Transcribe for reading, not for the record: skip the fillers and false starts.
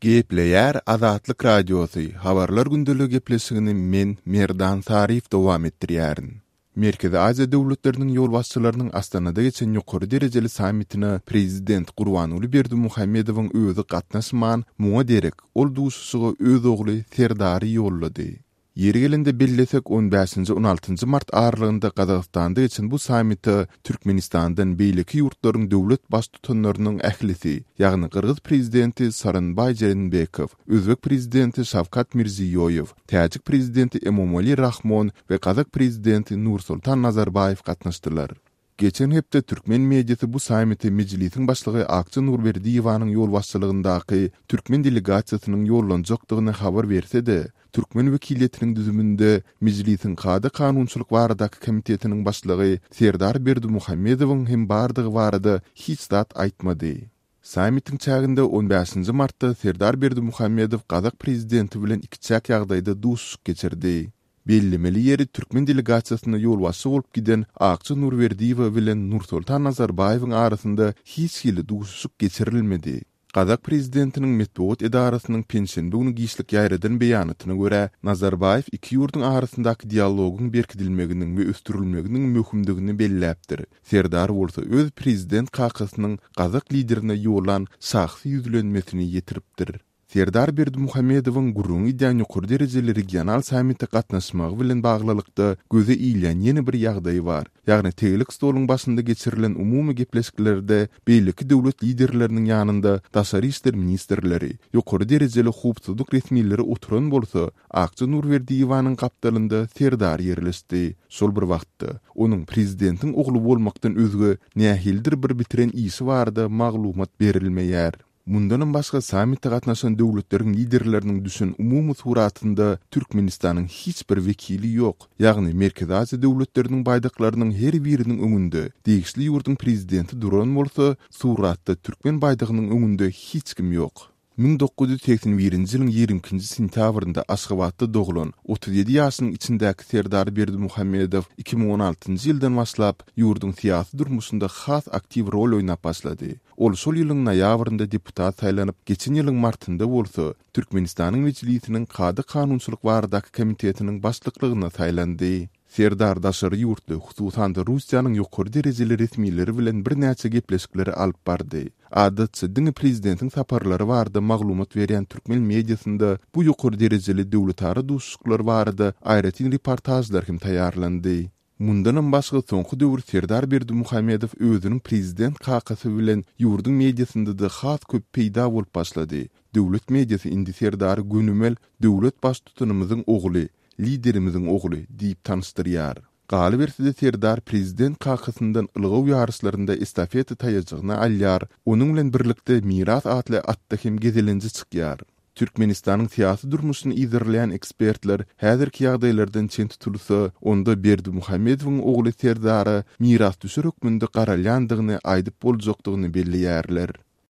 Gepleýär Azatlyk Radiosy, Habarlar gündeligi gepleşigini men, Merdan Saryýew dowam etdirýärin. Merkezi Aziýa döwletleriniň ýolbaşçylarynyň Astanada geçen ýokary derejeli sammitine prezident Gurbanguly Berdimuhamedowyň özi gatnaşman, muňa derek, ol duşuşyga öz ogly Serdary ýollady. Ýeri gelende bellesek, on bäşinji-on altynjy mart aralygynda Gazagystanda geçen bu sammite Türkmenistandan beýleki ýurtlaryň döwlet Baştutanlarynyň ählisi, ýagny gyrgyz prezidenti Sooronbaý Jeenbekow, özbek prezidenti Şawkat Mirziýoýew, täjik prezidenti Emomali Rahmon we gazak prezidenti Nursultan Nazarbaýew gatnaşdylar. Geçen hepde türkmen mediasy bu sammite Mejlisiň başlygy Akja Nurberdiýewanyň ýolbaşçylygyndaky türkmen delegasiýasynyň ýollanjakdygyny habar berse-de, türkmen wekiliýetiniň düzüminde Mejlisiň Kada-kanunçylyk baradaky komitetiniň başlygy Serdar Berdimuhamedowyň hem bardygy barada hiç zat aýtmady. Sammitiň çäginde on bäşinji martda Serdar Berdimuhamedow gazak prezidenti bilen ikiçäk ýagdaýda duşuşyk geçirdi. Bellemeli ýeri, türkmen delegasiýasyna ýolbaşçy bolup giden Akja Nurberdiýewa bilen Nursoltan Nazarbaýewiň arasynda hiç hili duşuşyk geçirilmedi. Gazak prezidentiniň metbugat edarasynyň penşenbe güni giçlik ýaýradan beýanatyna görä, Nazarbaýew iki ýurduň arasyndaky dialogyň berkidilmeginiň we ösdürilmeginiň möhümdigini belläpdir. Serdar bolsa öz prezident kakasynyň gazak liderine ýollan şahsy ýüzlenmesini ýetiripdir. Serdar Berdimuhamedowyň gürrüňi gidýän ýokary derejeli regional sammite gatnaşmagy bilen baglylykda göze ilýän ýene bir ýagdaý bar. Ýagny tegelek stoluň başynda geçirilen umumy gepleşiklerde beýleki döwlet liderleriniň ýanynda daşary işler ministrleri, ýokary derejeli howpsuzlyk resmileri oturan bolsa, Akja Nurberdiýewanyň gapdalynda Serdar ýerleşdi. Şol bir wagtda, onuň prezidentiň ogly bolmakdan özge nähilidir bir bitiren işi barada maglumat berilmeýär. Mundanam başga sammite gatnaşan döwletleriň liderleriniň düşen umumy suratynda Türkmenistanyň hiç bir wekili ýok, ýagny Merkezi Aziýa döwletleriniň baýdaklarynyň her biriniň öňünde degişli ýurduň prezidenti duran bolsa, suratda türkmen baýdagynyň öňünde hiç kim ýok. 1981-nji ýylyň 22-nji sentýabrynda Aşgabatda doglan, 37 ýaşynyň içindäki Serdar Berdimuhamedow 2016-njy ýyldan başlap, ýurduň syýasy durmuşynda has aktiw rol oýnap başlady. Ol şol ýylyň noýabrynda deputat saýlanyp, geçen ýylyň martynda bolsa, Türkmenistanyň Mejlisiniň Kada-kanunçylyk baradaky komitetiniň başlyklygyna saýlandy. Serdar daşary ýurtly, hususan-da Russiýanyň ýokary derejeli resmileri bilen birnäçe gepleşikleri alyp bardy. Adatça, diňe prezidentiň saparlary barada maglumat berýän türkmen mediasynda bu ýokary derejeli döwletara duşuşyklar barada aýratyn reportažlar hem taýýarlandy. Mundanam başga soňky döwür Serdar Berdimuhamedow özüniň prezident kakasy bilen ýurduň mediasynda-da has köp peýda bolup başlady. Döwlet mediasy indi Serdary gönümel döwlet baştutanymyzyň ogly, liderimiziň ogly diýip tanyşdyrýar. Galyberse-de Serdar prezident kakasyndan ylgaw ýaryşlarynda estafeta taýajygyny alýar, onuň bilen birlikde Miras atly atda hem gezelenje çykýar. Türkmenistanyň syýasy durmuşyny yzarlaýan ekspertler häzirki ýagdaýlardan çen tutulsa, onda Berdimuhamedowyň ogly Serdara mirasdüşer hökmünde garalýandygyny aýdyp boljakdygyny belleýärler.